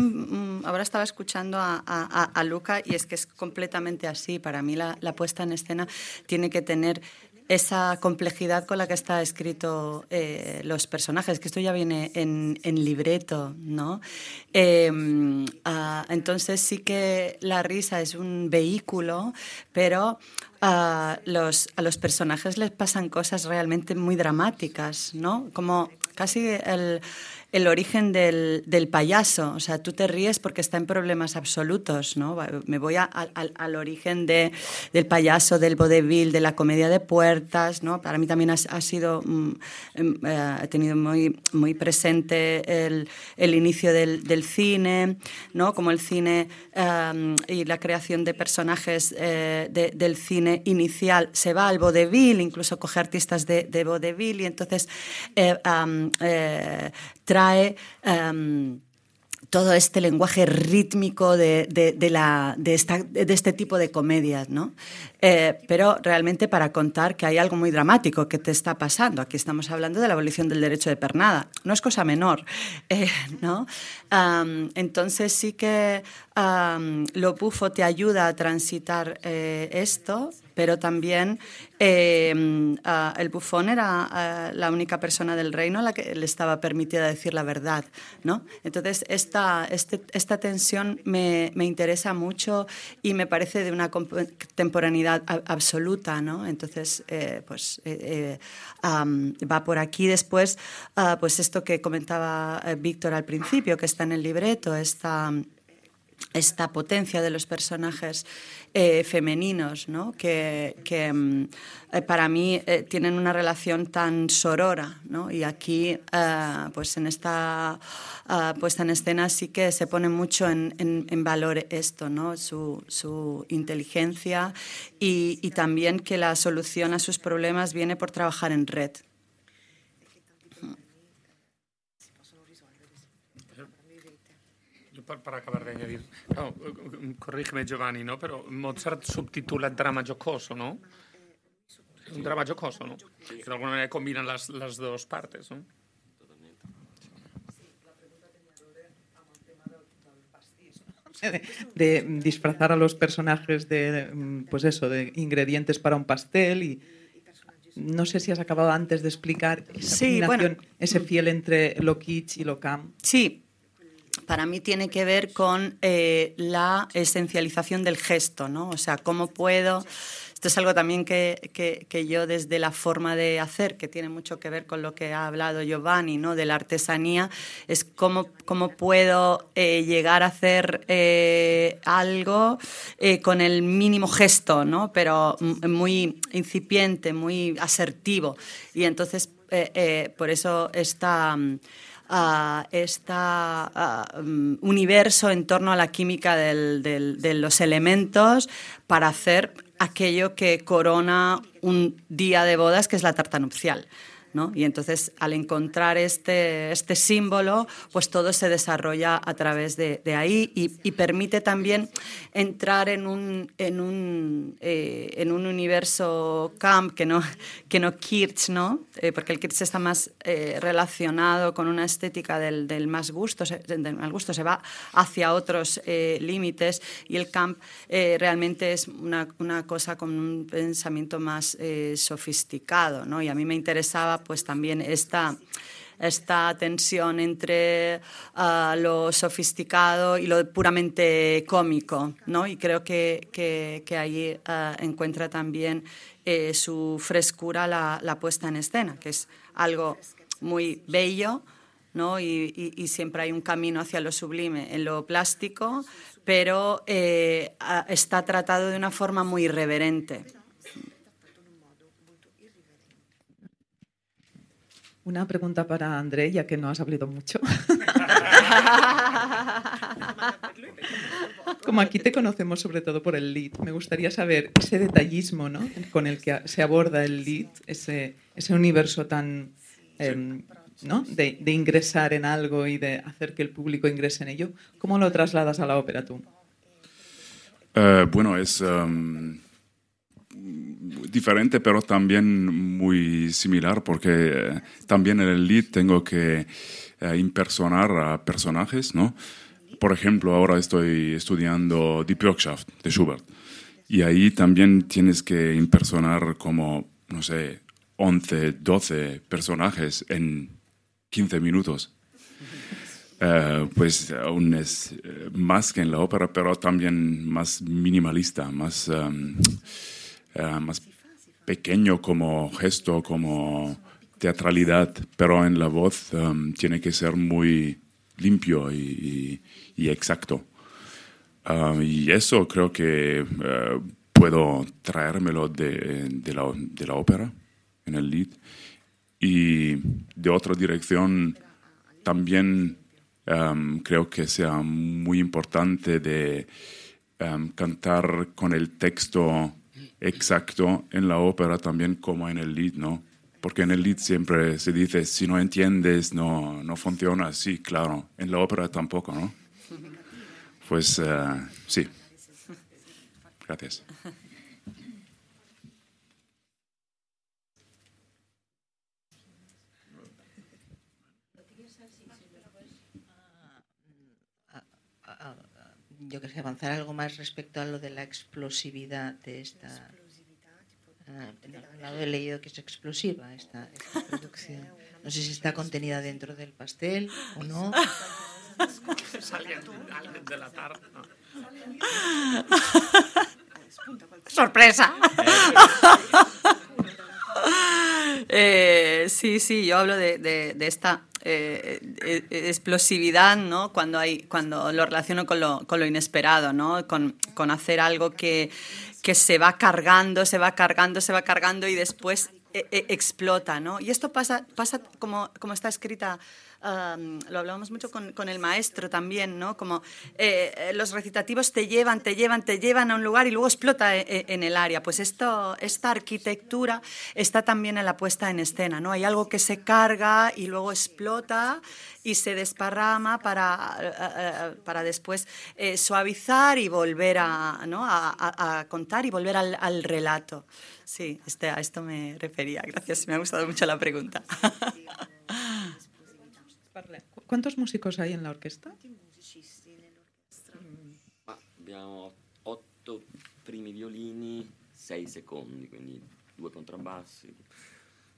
Ahora estaba escuchando a, a, a Luca y es que es completamente así. Para mí la, la puesta en escena tiene que tener esa complejidad con la que está escrito eh, los personajes, que esto ya viene en, en libreto, ¿no? Eh, uh, entonces sí que la risa es un vehículo, pero uh, los, a los personajes les pasan cosas realmente muy dramáticas, ¿no? Como casi el... el origen del, del payaso, o sea, tú te ríes porque está en problemas absolutos, ¿no? Me voy a, a, al origen de, del payaso, del vodevil, de la comedia de puertas, ¿no? Para mí también ha, ha sido, um, eh, he tenido muy, muy presente el, el inicio del, del cine, ¿no? Como el cine um, y la creación de personajes eh, de, del cine inicial se va al vodevil, incluso coge artistas de, de vodevil y entonces eh, um, eh, trae Um, todo este lenguaje rítmico de, de, de, la, de, esta, de este tipo de comedias, ¿no? Eh, pero realmente para contar que hay algo muy dramático que te está pasando. Aquí estamos hablando de la abolición del derecho de pernada. No es cosa menor, eh, ¿no? Um, entonces sí que um, lo bufo te ayuda a transitar eh, esto, pero también eh, uh, el bufón era uh, la única persona del reino a la que le estaba permitida decir la verdad, ¿no? Entonces esta, este, esta tensión me, me interesa mucho y me parece de una contemporaneidad a, absoluta, ¿no? Entonces eh, pues eh, eh, um, va por aquí. Después uh, pues esto que comentaba eh, Víctor al principio, que está en el libreto, esta... esta potencia de los personajes eh, femeninos, ¿no? que, que eh, para mí eh, tienen una relación tan sorora, ¿no? Y aquí eh, pues en esta uh, puesta en escena sí que se pone mucho en, en, en valor esto, ¿no? su, su inteligencia y, y también que la solución a sus problemas viene por trabajar en red. Per, per acabar d'añadir, no, corrígeme Giovanni, no? Però Mozart subtitula drama giocoso, no? Un drama jocoso, no? Que de alguna manera combinan las, las dos partes, no? De, de disfrazar a los personajes de, pues eso, de ingredientes para un pastel y no sé si has acabado antes de explicar esa sí, combinación, bueno, ese fiel entre lo kitsch y lo camp. Sí, para mí tiene que ver con eh, la esencialización del gesto, ¿no? O sea, cómo puedo... Esto es algo también que, que, que yo desde la forma de hacer, que tiene mucho que ver con lo que ha hablado Giovanni, ¿no? De la artesanía, es cómo, cómo puedo eh, llegar a hacer eh, algo eh, con el mínimo gesto, ¿no? Pero muy incipiente, muy asertivo. Y entonces, eh, eh, por eso esta... Uh, este uh, um, universo en torno a la química del, del, de los elementos para hacer aquello que corona un día de bodas, que es la tarta nupcial, ¿no? Y entonces, al encontrar este, este símbolo, pues todo se desarrolla a través de, de ahí y, y permite también entrar en un, en un, eh, en un universo camp que no, que no kitsch, ¿no? Eh, porque el kitsch está más eh, relacionado con una estética del, del más gusto, se, del mal gusto, se va hacia otros eh, límites, y el camp eh, realmente es una, una cosa con un pensamiento más eh, sofisticado, ¿no? Y a mí me interesaba pues también esta, esta tensión entre uh, lo sofisticado y lo puramente cómico, ¿no? Y creo que, que, que ahí uh, encuentra también eh, su frescura la, la puesta en escena, que es algo muy bello, ¿no? Y, y, y siempre hay un camino hacia lo sublime en lo plástico, pero eh, está tratado de una forma muy irreverente. Una pregunta para André, ya que no has hablado mucho. Como aquí te conocemos sobre todo por el lead, me gustaría saber ese detallismo, ¿no? Con el que se aborda el lead, ese, ese universo tan, eh, ¿no? de, de ingresar en algo y de hacer que el público ingrese en ello. ¿Cómo lo trasladas a la ópera tú? Uh, bueno, es... Um... diferente, pero también muy similar, porque eh, también en el lead tengo que eh, impersonar a personajes, ¿no? Por ejemplo, ahora estoy estudiando Die Bürgschaft de Schubert, y ahí también tienes que impersonar como, no sé, once, doce personajes en quince minutos. Uh, pues aún es uh, más que en la ópera, pero también más minimalista, más... Um, Uh, más pequeño como gesto, como teatralidad, pero en la voz um, tiene que ser muy limpio y, y, y exacto. Uh, y eso creo que uh, puedo traérmelo de, de, la, de la ópera en el lead. Y de otra dirección también um, creo que sea muy importante de um, cantar con el texto exacto en la ópera también como en el lead, ¿no? Porque en el lead siempre se dice, si no entiendes, no, no funciona. Sí, claro. En la ópera tampoco, ¿no? Pues uh, sí. Gracias. Yo quería avanzar algo más respecto a lo de la explosividad de esta... Ah, al lado he leído que es explosiva esta, esta producción. No sé si está contenida dentro del pastel o no. de la tarde. ¡Sorpresa! eh, sí, sí, yo hablo de, de, de esta... Eh, eh, explosividad, ¿no? Cuando hay, cuando lo relaciono con lo, con lo inesperado, ¿no? Con, con hacer algo que, que se va cargando, se va cargando, se va cargando y después eh, eh, explota, ¿no? Y esto pasa, pasa como, como está escrita um, lo hablábamos mucho con, con el maestro también, ¿no? Como eh, los recitativos te llevan, te llevan, te llevan a un lugar y luego explota en, en el área. Pues esto, esta arquitectura está también en la puesta en escena, ¿no? Hay algo que se carga y luego explota y se desparrama para, para después eh, suavizar y volver a, ¿no? a, a, a contar y volver al, al relato. Sí, este, a esto me refería. Gracias, me ha gustado mucho la pregunta. ¿Cuántos músicos hay en la orquesta? Abbiamo otto primi violini, sei secondi, quindi due contrabbassi.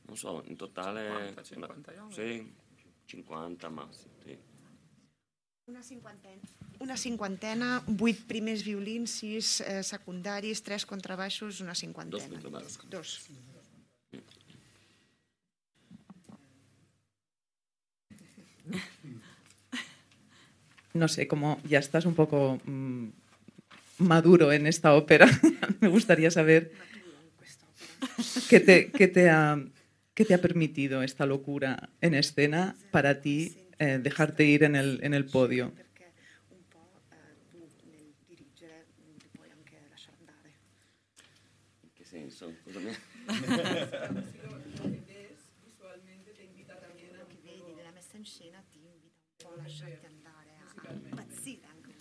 Non so, in totale... cinquanta, cinquanta, una, sì, cinquanta massimo, sì. Una cinquantena. Una cinquantena, vuit primers violins, sis eh, secundaris, tres contrabaixos, una cinquantena. Dos contrabaixos. Dos. No sé, como ya estás un poco mmm, maduro en esta ópera, me gustaría saber qué te, qué te ha, qué te ha permitido esta locura en escena para ti eh, dejarte ir en el, en el podio. ¿En qué senso? Cosa mi... Visualmente te invita también a che vedi nella messa in scena, ti invita un po' a lasciarti andare, a impazzire anche.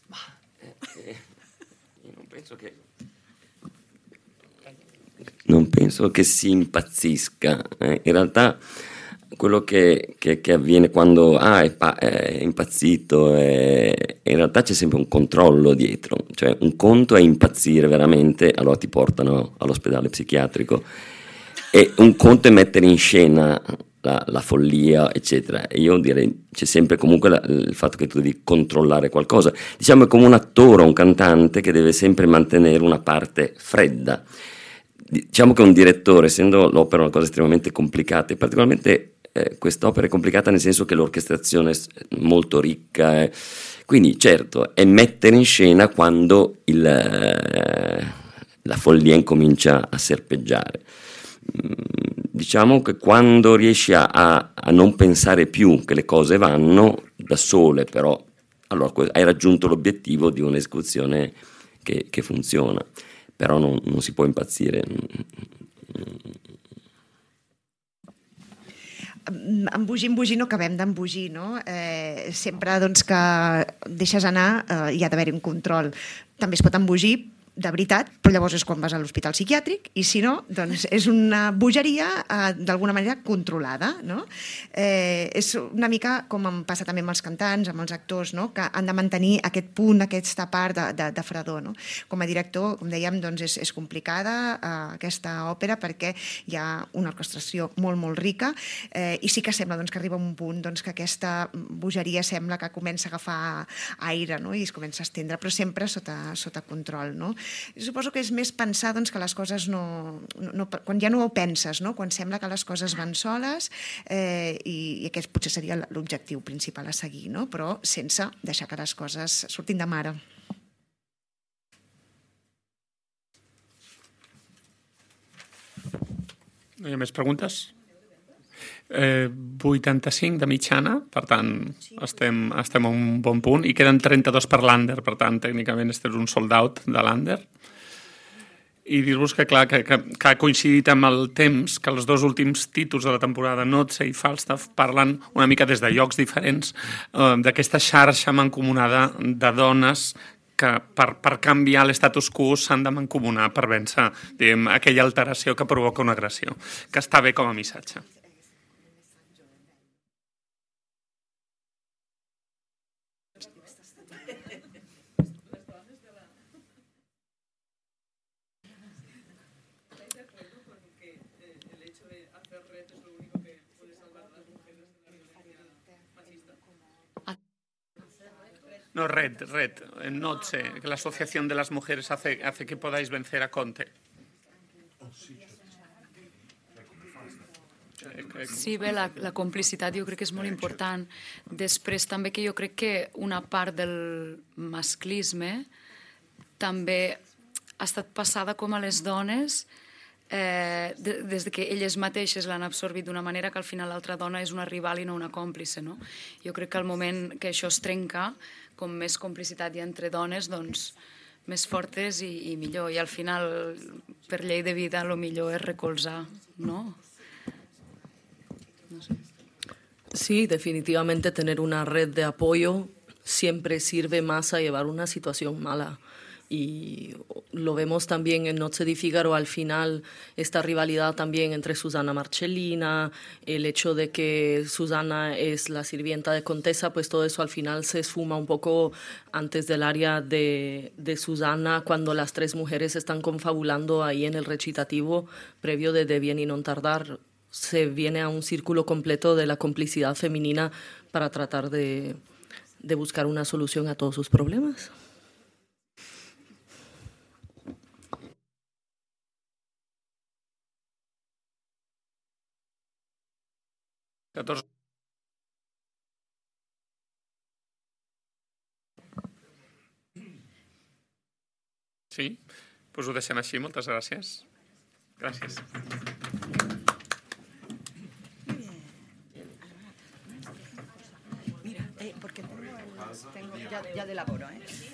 Ma eh, io non penso che non penso che si impazzisca. Eh, in realtà quello che, che, che avviene quando ah, è, pa- è impazzito, è, in realtà c'è sempre un controllo dietro. Cioè un conto è impazzire veramente, allora ti portano all'ospedale psichiatrico, e un conto è mettere in scena la, la follia, eccetera. E io direi c'è sempre comunque la, il fatto che tu devi controllare qualcosa. Diciamo è come un attore, un cantante che deve sempre mantenere una parte fredda. Diciamo che un direttore, essendo l'opera una cosa estremamente complicata, e particolarmente eh, quest'opera è complicata nel senso che l'orchestrazione è molto ricca, eh. Quindi certo è mettere in scena quando il, eh, la follia incomincia a serpeggiare. Mm, diciamo che quando riesci a, a, a non pensare più che le cose vanno da sole, però allora hai raggiunto l'obiettivo di un'esecuzione che, che funziona. Però non, non si può impazzire. Embogir, embogir, no acabem d'embogir, no? Eh, sempre doncs, que deixes anar eh, hi ha d'haver-hi un control. També es pot embogir de veritat, però llavors és quan vas a l'hospital psiquiàtric, i si no, doncs és una bogeria eh, d'alguna manera controlada, no? Eh, és una mica com em passa també amb els cantants, amb els actors, no? Que han de mantenir aquest punt, aquesta part de, de, de fredor, no? Com a director, com dèiem, doncs és, és complicada eh, aquesta òpera perquè hi ha una orquestració molt, molt rica, eh, i sí que sembla doncs, que arriba un punt doncs, que aquesta bogeria sembla que comença a agafar aire, no? I es comença a estendre, però sempre sota, sota control, no? Suposo que és més pensar doncs, que les coses no, no... Quan ja no ho penses, no? Quan sembla que les coses van soles, eh, i, i aquest potser seria l'objectiu principal a seguir, no? Però sense deixar que les coses surtin de mare. No hi ha més preguntes? Eh, vuitanta-cinc de mitjana, per tant estem, estem a un bon punt, i queden trenta-dos per l'Under, per tant tècnicament este és un sold out de l'Under. I dir-vos que clar, que, que, que ha coincidit amb el temps, que els dos últims títols de la temporada, Notze i Falstaff, parlen una mica des de llocs diferents eh, d'aquesta xarxa mancomunada de dones que per, per canviar l'estatus quo s'han de mancomunar per vèncer, diguem, aquella alteració que provoca una agressió, que està bé com a missatge. No, Red, Red, Notze, que la Asociación de las Mujeres hace, hace que podáis vencer a Conte. Sí, bé, la, la complicitat jo crec que és molt important. Després també que jo crec que una part del masclisme també ha estat passada com a les dones eh, de, des de que elles mateixes l'han absorbit d'una manera que al final l'altra dona és una rival i no una còmplice, no? Jo crec que al moment que això es trenca, com més complicitat hi ha entre dones, doncs més fortes i, i millor. I al final, per llei de vida, el millor és recolzar, no? No sé. Sí, definitivamente tener una red de apoyo siempre sirve más a llevar una situación mala. Y lo vemos también en Noche di Figaro al final, esta rivalidad también entre Susana Marcellina, el hecho de que Susana es la sirvienta de Contessa, pues todo eso al final se esfuma un poco antes del área de, de Susana, cuando las tres mujeres están confabulando ahí en el recitativo previo de De bien y non tardar. Se viene a un círculo completo de la complicidad femenina para tratar de, de buscar una solución a todos sus problemas. catorze. Sí, doncs ho deixem així. Moltes gràcies. Gràcies. Mira, eh, porque tengo, el, tengo ya, ya de laboro, ¿eh?